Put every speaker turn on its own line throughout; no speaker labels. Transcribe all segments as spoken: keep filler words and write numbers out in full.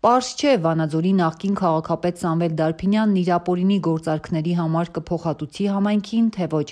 Պարզ չէ Վանաձորի նախկին քաղաքապետ Սամվել Դարփինյանն իր ապօրինի գործարքների համար կփոխհատուցի համայնքին, թե ոչ։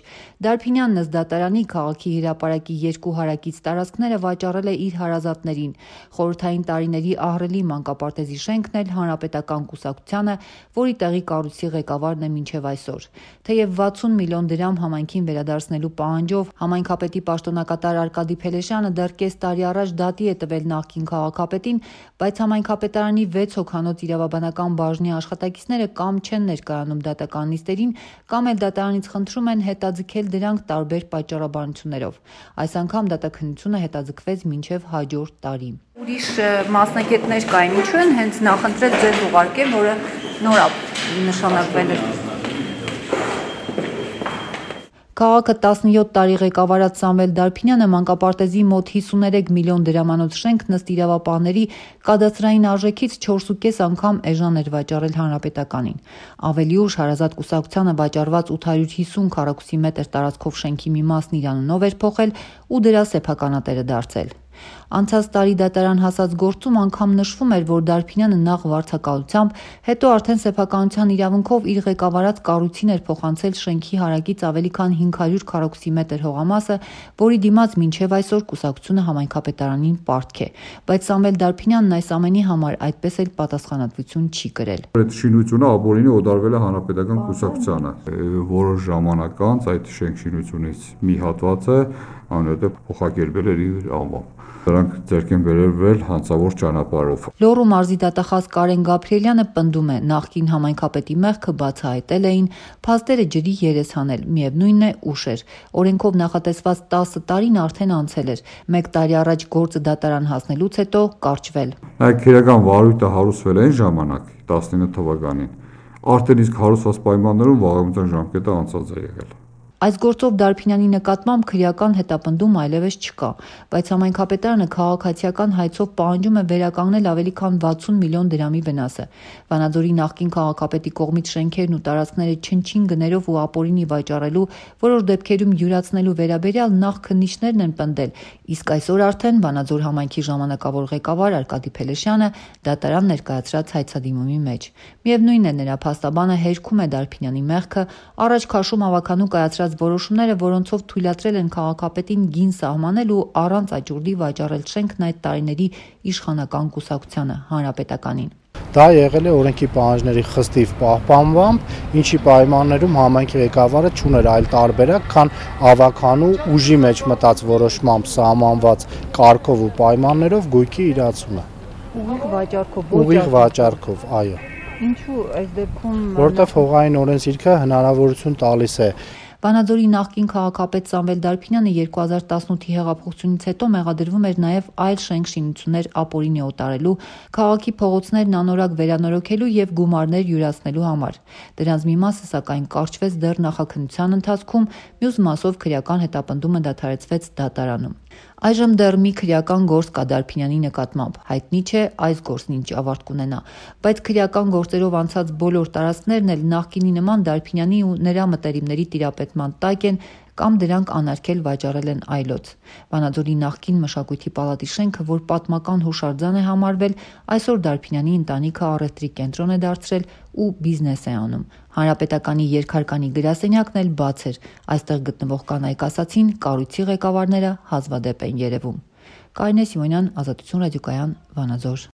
Դարփինյանն ըստ դատարանի քաղաքի հրապարակի երկու հարակից տարածքները վաճառել է իր հարազատներին։ Խորհրդային տարիների ահռելի մանկապարտեզի շենքն էլ հանրապետական կուսակցությանը, որի տեղի կառույցի ղեկավարն է մինչև այսօր։ Թեև վաթսուն միլիոն դրամ համայնքին վերադարձնելու պահանջով համայնքապետի պաշտոնակատար Արկադի Փելեշյանը դեռ կես տարի առաջ դատի է տվել նախկին քաղաքապետին, բայց համայնքապետարանի վեց հոգանոց իրավաբանական բաժնի աշխատակիցները կամ չեն ներկայանում դատական նիստերին, կամ էլ դատարանից խնդրում են հետաձգել դրանք տարբեր պատճառաբանություններով։ Այս անգամ դատաքննությունը հետաձգվեց մինչև հաջորդ տարի։ Ուրիշ մասնագետներ կային, ինչու են հենց նախընտրել ձեզ ուղարկել, որը նոր նշանակվել է։ Քաղաքը տասնյոթ տարի ղեկավարած Սամվել Դարփինյանը մանկապարտեզի մոտ հիսուներեք միլիոն դրամանոց շենք ըստ իրավապահների կադաստրային արժեքից չորսուկես անգամ էժան էր վաճառել հանրապետականին։ Ավելի ուշ հարազատ կուսակցությանը վաճառված ութ հարյուր հիսուն քառակուսի մետր տարածքով շենքի մի մասն իր անունով էր փոխել ու դրա սեփականատերը դարձել։ Անցած տարի դատարան հասած գործում անգամ նշվում էր, որ Դարփինյանը նախ վարձակալությամբ, հետո արդեն սեփականության իրավունքով իր ղեկավարած կառույցին էր փոխանցել շենքի հարակից ավելի քան հինգ հարյուր քառակուսի մետր հողամասը, որի դիմաց մինչև այսօր կուսակցությունը համայնքապետարանին պարտք է։ Բայց Սամվել Դարփինյանն այս ամենի համար այդպես էլ պատասխանատվություն չի կրել։
Այդ շինությունը ապօրինի օդարվել է հանրապետական կուսակցությանը։ Որոշ ժամանակ անց այդ շենք շինությունից մի հատվածը անհետև փոխակերպել էր իր անվամբ։ Դրանք ձեռք են բերվել հանցավոր ճանապարհով։
Լոռու մարզի դատախազ Կարեն Գաբրիելյանը պնդում է, նախկին համայնքապետի մեղքը բացահայտել էին, փաստերը ջրի երես հանել, միևնույնն է ուշ էր։ Օրենքով նախատեսված տասը տարին արդեն անցել էր, մեկ տարի առաջ գործը դատարան հասնելուց հետո կարճվել։
Նայեք, քրեական վարույթը հարուցվել է այն ժամանակ տասնինը թվականին, արդեն իսկ հարուցված պայմաններում վաղամիջյան ժամկետը անցած է եղել։
Այս գործով Դարփինյանի նկատմամբ քրեական հետապնդում այլևս չկա, բայց համայնքապետարանը քաղաքացիական հայցով պահանջում է վերականգնել ավելի քան վաթսուն միլիոն դրամի վնասը։ Վանաձորի նախկին քաղաքապետի կողմից շենքերն ու տարածքները չնչին գներով ու ապօրինի վաճառելու, որոշ դեպքերում յուրացնելու վերաբերյալ նախ քննիչներն են պնդել, իսկ այսօր արդեն Վանաձոր համայնքի ժամանակավոր ղեկավար Արկադի Փելեշյանը դատարան ներկայացրած հայցադիմումի մեջ։ Միևնույնն է, նրա փաստաբանը հերքում է Դարփինյանի մեղքը, առաջ քաշում ավականու կայացրած որոշումները, որոնցով թույլատրել են քաղաքապետին գին սահմանել ու առանց աճուրդի վաճառել շենքն այդ տարիների իշխանական կուսակցությանը, հանրապետականին։
Դա եղել է օրենքի պահանջների խստիվ պահպանմամբ, ինչի պայմաններում համայնքի ղեկավարը չուներ այլ տարբերակ, քան ավականու ուժի մեջ մտած որոշմամբ սահմանված կարգով ու պայմաններով գույքի իրացումը։
Ուղիղ վաճառքով։
Ուղիղ վաճառքով, այո։
Ինչու այս դեպքում։
Որտեղ հողային օրենսգիրքը հնարավորություն տալիս է։
Վանաձորի նախկին քաղաքապետ Սամվել Դարփինյանը երկու հազար տասնութի հեղափոխությունից հետո մեղադրվում էր նաև այլ շենք-շինություններ ապօրինի օտարելու, քաղաքի փողոցներն անորակ վերանորոգելու եւ գումարներ յուրացնելու համար։ Դրանց մի մասը սակայն կարճվեց դեռ նախաքննության ընթացքում, մյուս մասով քրեական հետապնդումը դադարեցվեց դատարանում։ Այժմ դեռ մի քրեական գործ կա Դարփինյանի նկատմամբ, հայտնի չէ այս գործն ինչ ավարտ կունենա, բայց քրեական գործերով անցած բոլոր տարածքներն էլ նախկինի նման Դարփինյանի ու նրա մտերիմների տիրապետման տակ են կամ դրանք անարգել վաճառել են այլոց։ Վանաձորի նախկին մշակույթի պալատի շենքը, որ պատմական հուշարձան է համարվել, այսօր Դարփինյանի ընտանիքը առևտրի կենտրոն է դարձրել ու բիզնես է անում։ Հանրապետականի երկհարկանի գրասենյակն էլ բաց էր, այստեղ գտնվող կանայք ասացին, կառույցի ղեկավարները հազվադեպ են երևում։ Կարինե Սիմոնյան, Ազատություն ռադիոկայան, Վանաձոր։